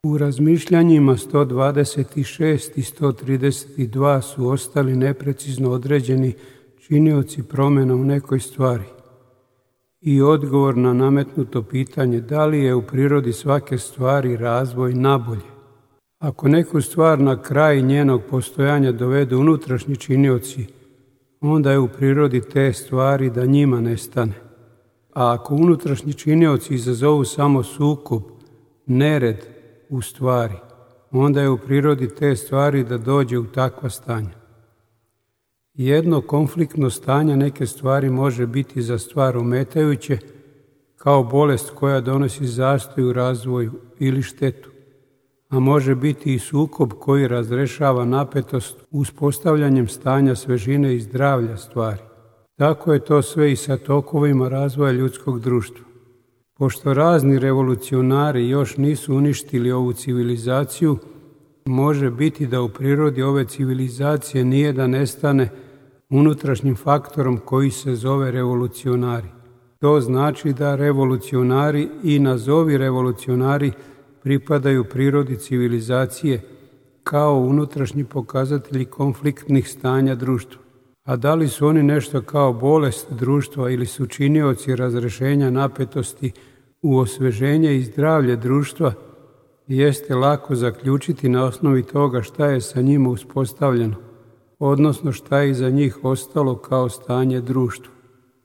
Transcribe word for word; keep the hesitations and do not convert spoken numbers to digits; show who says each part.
Speaker 1: U razmišljanjima sto dvadeset šest i sto trideset dva su ostali neprecizno određeni činioci promjena u nekoj stvari i odgovor na nametnuto pitanje da li je u prirodi svake stvari razvoj nabolje. Ako neku stvar na kraj njenog postojanja dovedu unutrašnji činioci, onda je u prirodi te stvari da njima nestane. A ako unutrašnji činioci izazovu samo sukob, nered u stvari, onda je u prirodi te stvari da dođe u takva stanja. Jedno konfliktno stanje neke stvari može biti za stvar ometajuće, kao bolest koja donosi zastoj u razvoju ili štetu, a može biti i sukob koji razrešava napetost uspostavljanjem stanja svežine i zdravlja stvari. Tako je to sve i sa tokovima razvoja ljudskog društva. Pošto razni revolucionari još nisu uništili ovu civilizaciju, može biti da u prirodi ove civilizacije nije da nestane unutrašnjim faktorom koji se zove revolucionari. To znači da revolucionari i nazovi revolucionari pripadaju prirodi civilizacije kao unutrašnji pokazatelji konfliktnih stanja društva. A da li su oni nešto kao bolest društva ili su činioci razrešenja napetosti u osveženje i zdravlje društva, jeste lako zaključiti na osnovi toga šta je sa njima uspostavljeno, odnosno šta je iza njih ostalo kao stanje društva.